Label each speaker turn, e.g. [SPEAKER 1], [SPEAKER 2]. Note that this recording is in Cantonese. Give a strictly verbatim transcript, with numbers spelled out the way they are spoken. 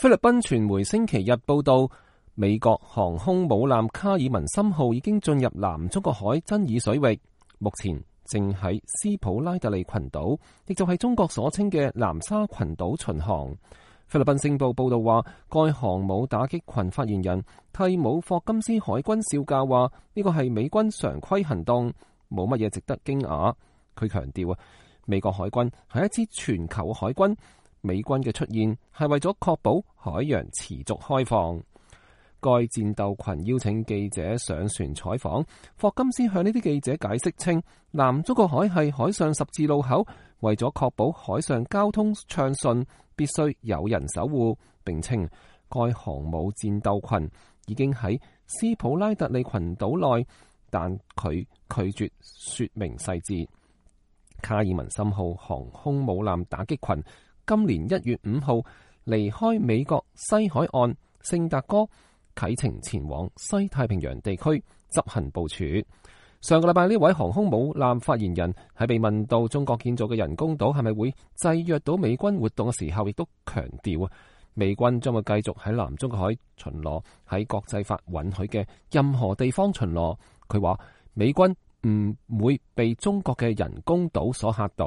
[SPEAKER 1] 菲律賓傳媒星期日報道，美國航空母艦卡爾文森號已經進入南中國海爭議水域，目前正喺斯普拉特利群島，亦就係中國所稱嘅南沙群島巡航。菲律賓星報報道話，該航母打擊群發言人蒂姆霍金斯海軍少校話：呢個係美軍常規行動，冇乜嘢值得驚訝。佢強調啊，美國海軍係一支全球海軍，美軍嘅出現係為咗確保海洋持續開放。該戰鬥群邀請記者上船採訪，霍金斯向呢啲記者解釋稱，南中國海係海上十字路口，為咗確保海上交通暢順，必須有人守護。並稱該航母戰鬥群已經喺斯普拉特利群島內，但佢拒絕說明細節。卡爾文森號航空母艦打擊群今年一月五號離開美國西海岸聖達哥，啟程前往西太平洋地區執行部署。上個禮拜呢位航空母艦發言人喺被問到中國建造嘅人工島係咪會制約到美軍活動嘅時候，亦都強調啊，美軍將會繼續喺南中國海巡邏，喺國際法允許嘅任何地方巡邏。佢話美軍唔會被中國嘅人工島所嚇到。